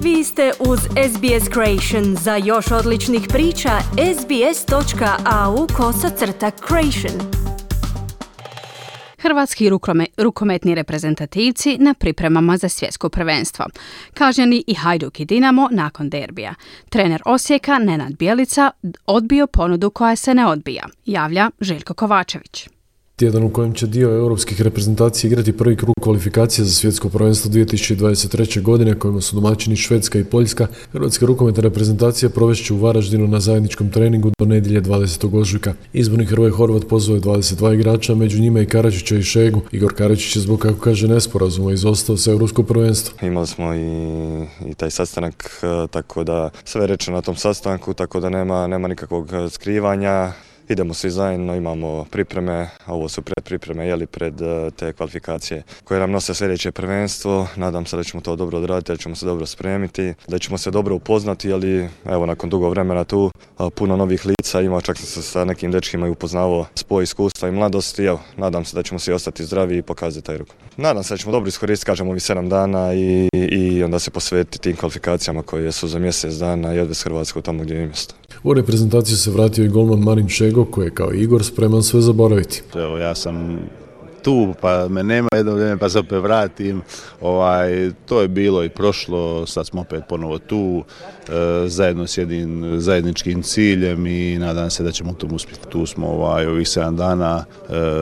Vi ste uz SBS Creation. Za još odličnih priča, sbs.au/creation. Hrvatski rukometni reprezentativci na pripremama za svjetsko prvenstvo. Kažnjeni i Hajduk i Dinamo nakon derbija. Trener Osijeka Nenad Bjelica odbio ponudu koja se ne odbija, javlja Željko Kovačević. Tjedan u kojem će dio europskih reprezentacija igrati prvi krug kvalifikacija za svjetsko prvenstvo 2023. godine, kojima su domaćini Švedska i Poljska, hrvatska rukometna reprezentacija provest će u Varaždinu na zajedničkom treningu do nedjelje 20. ožujka. Izborni Hrvoje Horvat pozvao je 22 igrača, među njima i Karadžića i Šegu. Igor Karadžić je zbog, kako kaže, nesporazuma izostao sa europsko prvenstvo. Imali smo i taj sastanak, tako da sve rečeno na tom sastanku, tako da nema nikakvog skrivanja. Idemo svi zajedno, imamo pripreme, ovo su predpripreme pred te kvalifikacije koje nam nose sljedeće prvenstvo. Nadam se da ćemo to dobro odraditi, da ćemo se dobro spremiti, da ćemo se dobro upoznati, ali evo nakon dugo vremena tu puno novih lica ima, čak sam se sa nekim dečkima i upoznavao spoj iskustva i mladosti. Evo, nadam se da ćemo svi ostati zdravi i pokazati taj ruku. Nadam se da ćemo dobro iskoristiti, kažemo, ovih 7 dana i onda se posvetiti tim kvalifikacijama koje su za mjesec dana i odvesti Hrvatsku tamo gdje je mjesto. U reprezentaciju se vratio i golman Marin Šego, koji je kao Igor spreman sve zaboraviti. Evo, ja sam tu, pa me nema jedno vrijeme, pa se opet vratim. To je bilo i prošlo, sad smo opet ponovo tu, zajedno s jednim zajedničkim ciljem i nadam se da ćemo u tom uspjeti. Tu smo ovih 7 dana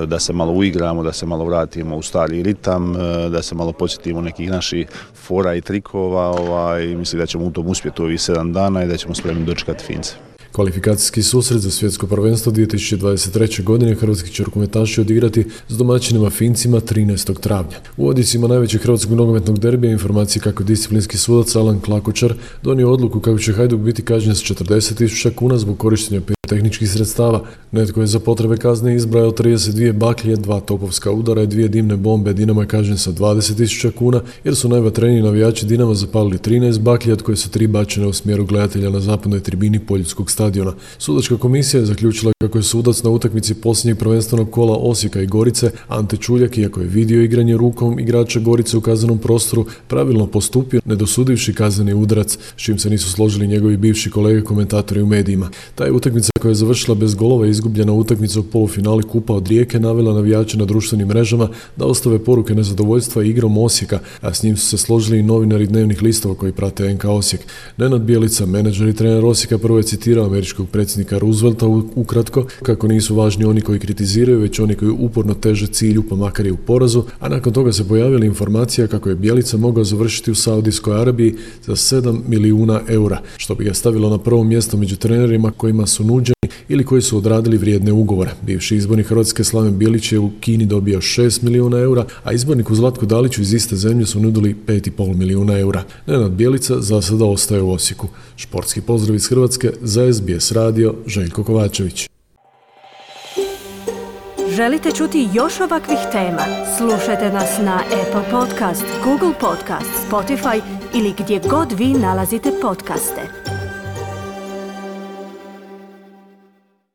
da se malo uigramo, da se malo vratimo u stari ritam, da se malo podsjetimo nekih naših fora i trikova i mislim da ćemo u tom uspjeti u ovih 7 dana i da ćemo spremni dočekati Fince. Kvalifikacijski susret za svjetsko prvenstvo 2023. godine hrvatski će rukometaši odigrati s domaćinima Fincima 13. travnja. U odjecima najvećeg hrvatskog nogometnog derbija informacije kako disciplinski sudac Alan Klakočar donio odluku kako će Hajduk biti kažnjen s 40.000 kuna zbog korištenja tehničkih sredstava. Netko je za potrebe kazne izbrajao 32 baklje, 2 topovska udara i 2 dimne bombe. Dinamo je kažnjen sa 20.000 kuna jer su najvatreniji navijači Dinama zapalili 13 baklje, od koje su 3 bačene u smjeru gledatelja na zapadnoj tribini Poljskog stadiona. Sudačka komisija je zaključila kako je sudac na utakmici posljednjeg prvenstvenog kola Osijeka i Gorice Ante Čuljak, iako je vidio igranje rukom igrača Gorice u kaznenom prostoru, pravilno postupio ne dosudivši kazneni udarac, s čim se nisu složili njegovi bivši kolege komentatori u medijima. Ta je utakmica, koja je završila bez golova i izgubljena utakmica u polufinali Kupa od Rijeke, navela navijače na društvenim mrežama da ostave poruke nezadovoljstva igrom Osijeka, a s njim su se složili i novinari dnevnih listova koji prate NK Osijek. Nenad Bjelica, menadžer i trener Osijeka, prvo je citirao američkog predsjednika Roosevelta ukratko kako nisu važni oni koji kritiziraju, već oni koji uporno teže cilju pa makar i u porazu, a nakon toga se pojavila informacija kako je Bjelica mogao završiti u Saudijskoj Arabiji za 7 milijuna eura, što bi ga stavilo na prvo mjesto među trenerima kojima su nuđeni ili koji su odradili vrijedne ugovore. Bivši izbornik Hrvatske Slaven Bilić je u Kini dobio 6 milijuna eura, a izborniku Zlatku Daliću iz iste zemlje su nudili 5,5 milijuna eura. Nenad Bjelica za sada ostaje u Osijeku. Športski pozdrav iz Hrvatske za SBS radio, Željko Kovačević. Želite čuti još ovakvih tema? Slušajte nas na Apple Podcast, Google Podcast, Spotify ili gdje god vi nalazite podcaste.